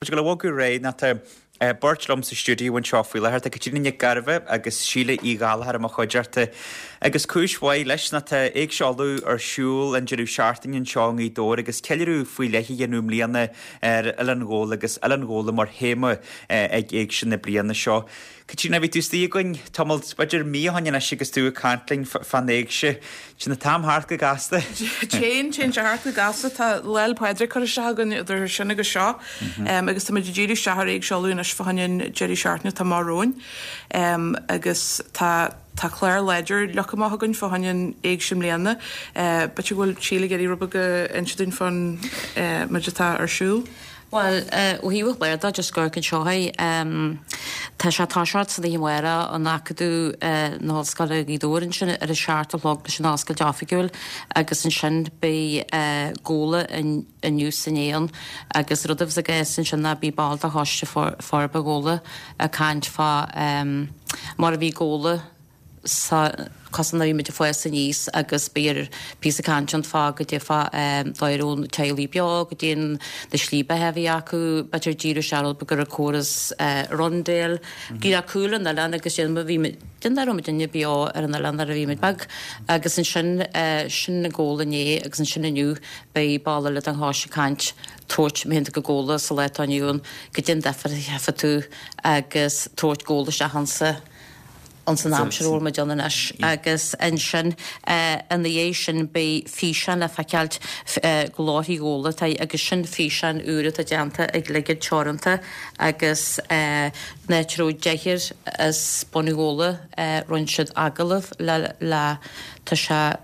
Muid ag dul a bhogadh ar aghaidh ná tá beirt liom sa stiúideo anseo faoi láthair. Tá Caitríona Nic Gairbheith agus Síle Uí Ghallchóir i mo chuideachta agus cúis mhaith leis ná tá Éigse Uladh ar siúl an deireadh seachtaine anseo i nGaoth Dobhair agus ceiliúradh faoi leith a dhéanamh i mbliana ar Oileán Ghabhla agus Oileán Ghabhla mar théama ag Éigse na bliana seo. Caitríona, bhí tú istigh againn tamall, b'fhéidir mí ó shin anois agus tú ag caint linn fán éigse. Téann an t-am thart go gasta. Téann, téann sé thart go gasta. Tá Lá 'le Pádraig curtha isteach againn idir sin agus seo agus táimid ag díriú isteach ar Éigse Uladh anois fá choinne an deireadh seachtaine atá amach romhainn agus tá tá clár láidir leagtha amach againn fá choinne an éigse i mbliana. B'fhéidir go bhfuil Síle ag iarraidh rud beag a inse dúinn fán méid atá ar siúl. Bhuel, ó thaobh an chláir de, just ag amharc anseo é, tá sé ag toiseacht san oíche amárach in Acadamh na hOllscoile Ghaoth Dobhair ansin ar a seacht a chlog leis an oscailt oifigiúil agus ansin beidh Gabhla inniu is inné ann agus rud a bheas i gceist ansin ná beidh ball de Choiste Forbartha Ghabhla ag caint fá mar a bhí Gabhla sa cosan a bhí muid ag fás aníos agus beidh píosa cainte ann fá goidé fá dóigh a raibh na teaghlaigh beo, goidé na slí beatha a bhí acu, b'fhéidir díriú isteach rud beag ar an córas rundale, go cúl an oileáin agus sin bhí muid, déan nach raibh muidinne beo ar an oileán nuair a bhí muid beag agus ansin sin an Gabhla inné agus ansin inniu beidh ball eile den choiste ag caint tabhairt má théann tú go Gabhla sa lá atá inniu ann goidé an difear a tchífidh tú agus tabhairt Gabhla isteach ansa ins an aimsir a bhfuil muid ann anois agus ansin ina dhiaidh sin beidh físeán le feiceáilt Glórthaí Ghabhla atá agus sin físeán úr atá déanta ag Lipéad Teoranta agus an áit a raibh deichniúr as bunadh Ghabhla rinne siad agallamh le le tá sé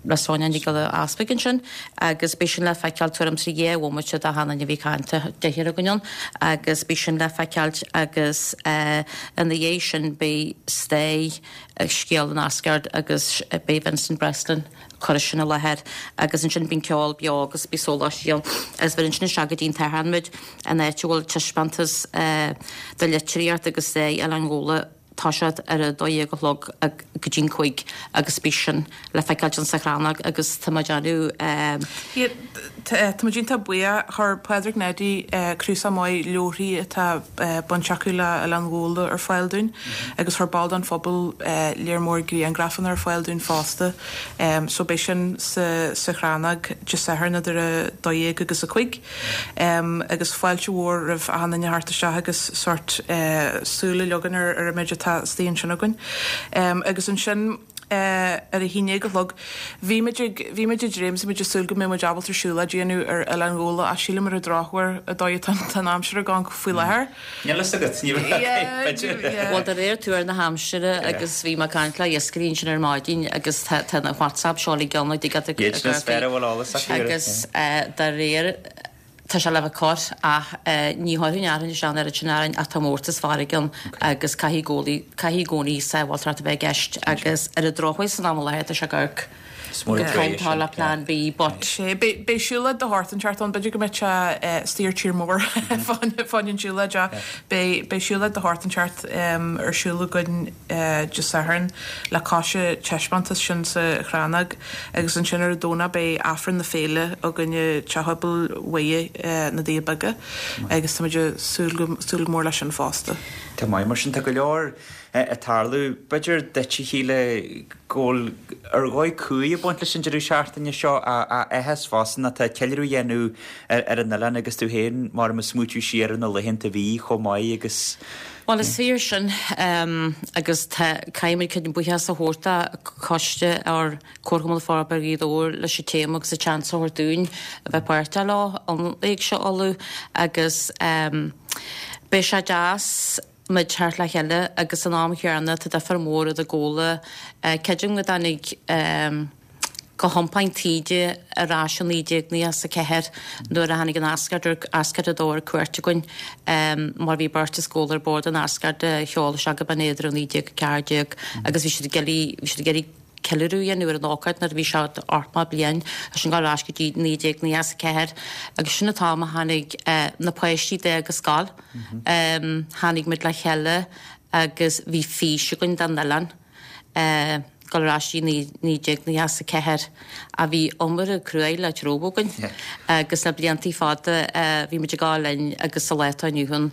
le Sonia Nic Giolla Easpaig ansin agus beidh sin le feiceáil tuairim is 2 bhomaite de achan duine a bhí ag caint, deichniúr againn ann agus beidh sin le feiceáilt agus ina dhiaidh sin beidh Stair Scéal an Asgard agus beidh Vincent Breslin ag cur sin i láthair agus ansin bíonn ceol beo agus beidh sóláistí ann agus bheir ansin isteach go dtí an tSatharn muid an áit a bhfuil taispeántas de litríocht agus stair Oileán Ghabhla toiseacht ar a 12 a chlog go dtí'n 5 agus beidh sin le feiceáilt insa Chrannóg agus tá muid déanamh. Tá muid iontach buíoch. Chuir Pádraig Neidí cnuasach maith leabharthaí atá baint acu le Oileán Ghabhla ar fáil dúinn agus chuir ball den phobal léar mór griangrafanna ar fáil dúinn fosta. So beidh sin sa Chrannóg Dé Sathairn idir a 12 agus a 5. Agus fáilte mhór roimh achan duine theacht isteach agus sórt súil a leagan ar an méid atá istigh ansin againn. Agus ansin ar a haon déag a chlog, bhí muid ag, bhí muid ag dréim is muid ag súil go mbeadh muid ábalta siúlóid a dhéanamh ar Oileán Ghabhla ach sílim ar an drochuair an dóigh atá an aimsir ag amharc faoi láthair. Níl fhios agat, ní bheadh, b'fhéidir. Bhuel, de réir tuar na haimsire agus bhí mé ag caint le iascairí ansin ar maidin agus tá tá na WhatsApp seo uilig ann ag ag Iad sin is fearr a bhfuil eolas acu air. Agus de réir, tá sé le bheith corr ach ní thabharfainn aráin isteach an oiread sin aráin ach tá mórtas farraige ann agus caithfidh i gcónaí, caithfidh i gcónaí sábháilteacht a bheith i gceist agus ar an drochuair san am i láthair tá sé ag amharc Is mór an trua é sin. le plean B but. Sé, beidh siúlóid de shórt inteacht ann, b'fhéidir go mbeidh sé istigh ar tír mór fá choinne an tsiúlóid ach beidh siúlóid de shórt inteacht ar siúl againn Dé Sathairn le cois an taispeántas sin sa Chrannóg agus ansin ar an Domhnach beidh Aifreann na Féile againn i Teach Pobail Mhuire na Doirí Beaga agus táimid ag súil go súil go mór leis sin fosta. Tá maith mar sin, tá go leor ag tarlú. B'fhéidir duit a Shíle go bhfuil ar dhóigh cumhaidh ag baint leis an deireadh seachtaine seo a áthas fosta ná tá ceiliúradh á dhéanamh ar an oileán agus tú féin mar ag smaoitiú siar ar na laethanta a bhí chomh maith agus Bhuel is fíor sin agus tá, caithfidh muid cuid buíochas a thabhairt do choiste ár Comharchumann Forbartha Ghaoth Dobhair leis an téama agus an seans a thabhairt dúinn a bheith páirteach leo an Éigse Uladh agus beidh sé deas muid teacht le chéile agus san am chéanna tá difear mór idir Gabhla, creidim go dtáinig go hiompáin taoide ar ais i 1994 nuair a tháinig an Asgard ar Asgard 2 ar cuairt againn mar bhí beirt as Gabhla ar bord an Asgard a sheol isteach go Binn Éadair i 1914 agus bhí siad ag iarraidh bhí siad ag iarraidh ceiliúradh a dhéanamh ar an ócáid nuair a bhí sé 80 bliain sin ag dul ar ais go dtí 1994 agus sin an t-am a tháinig na páistí d'fhág an scoil. Tháinig muid le chéile agus bhí fís againn don oileán. Dul ar ais go dtí 1994 a bhí iomarca cruaidh le treabhadh againn agus le bliantaí fada bhí muid ag gabháil linn agus sa lá atá inniu ann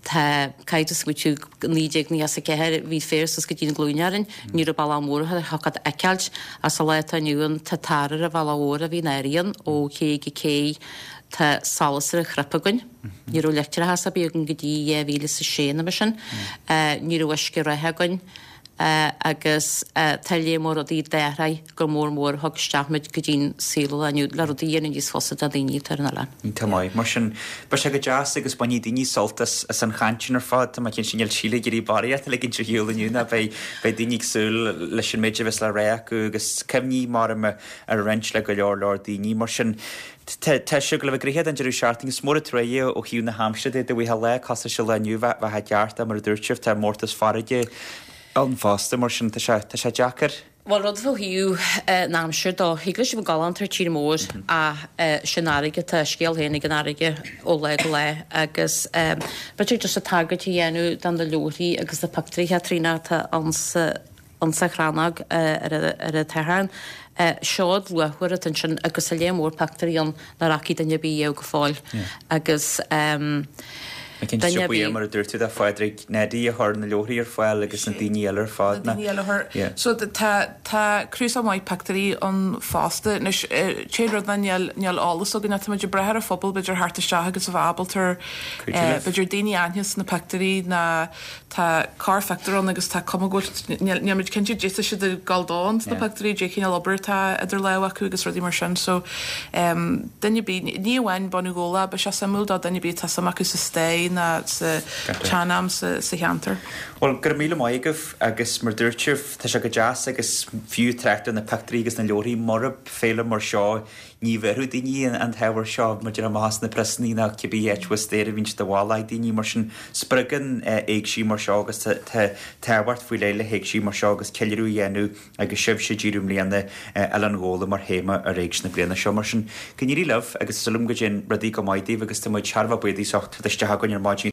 tá caithfidh tú smaoitiú 1994 bhí féar suas go dtí na glúine orainn, ní raibh bealach mór a thiocfadh a fheiceáilt ach sa lá atá inniu ann tá tar ar an bhealach mhór a bhí in Árainn ó ché go cé, tá solas ar an chnip againn, ní raibh leictreachas ar bith againn go dtí 2006 nó mar sin, ní raibh uisce reatha againn. agus tá léar mór rudaí d'athraigh go mór mór a thug isteach muid go dtí'n saol lá inniu le rudaí a dhéanamh níos fusa do dhaoine atá ar an oileán. Iontach maith. Mar sin, beidh sé go deas agus bainfidh daoine sult as an chaint sin ar fad. Tá mé cinnte níl Síle ag iarraidh barraíocht a ligint ar shiúl inniu ná beidh beidh daoine ag súil leis an méid a bheas le rá acu agus cuimhní maram a roinnt le go leor leor daoine. Mar sin, Tá sé ag dul a bheith gnoitheach don deireadh seachtaine. Is mór an truaighe ó thaobh na haimsire de, dá bhfaighfeá lá cosúil leis an lá inniu, bheadh i gceart é, mar a dúirt sibh, tá mórtas farraige ann fosta, mar sin tá sé, tá sé deacair. Bhuel, rud fá thaobh na haimsire dó, thig leis a bheith galánta ar tír mór ach sin fharraige, tá a scéal féin ag an fharraige ó lá go lá agus b'fhéidir just tagairt a dhéanamh do na leabharthaí agus na pictiúirí Chaitríona atá ann sa Insa chrannóg ar an tSatharn. Seod luachmhar atá ansin agus tá léar mór pictiúirí ann nach bhfaca duine ar bith riamh go fóill agus duine ar bith. Mar a dúirt tú do Phádraig Neidí a chuir na leabharthaí ar fáil agus na daoine eile ar fad. Na daoine eile a chuir. So tá tá cnuasach maith pictiúirí ann fosta. Anois t-aon rud ná níl níl eolas againn ach tá muid ag brath ar an phobal b'fhéidir theacht isteach agus a bheith ábalta b'fhéidir daoine a aithne sna pictiúirí ná Tá corrphictiúr ann agus tá cuma go bhfuil, níl muid cinnte caidé tá siad ag gabháil dó ins na pictiúirí, caidé cineál obair atá idir lámha acu agus rudaí mar sin. So, duine ar bith, ní amháin bunadh Ghabhla, beidh sé suimiúil do duine ar bith atá suim acu sa stair ná sa tsean-am sa cheantar. Bhuel, go raibh míle maith agaibh agus mar dúirt sibh, tá sé go deas agus fiú trácht ar na pictiúirí agus na leabharthaí, murab féile mar seo, Ní bhéarfadh daoine an t-ábhar seo maidir amach as na priosannaí ná cibé áit abhus staighre a bhíonn siad i bhfalach ag daoine. Mar sin, spreagann éigsí mar seo agus tá tábhacht faoi leith le héigsí mar seo agus ceiliúradh a dhéanamh agus sibhse ag díriú i mbliana Oileán Ghabhla mar théama ar Éigse na bliana seo. Mar sin, go n-éirí libh agus tá súil agam go dtéann rudaí go maith daoibh agus tá muid thar a bheith buíoch as ucht teacht isteach chugainn ar maidin.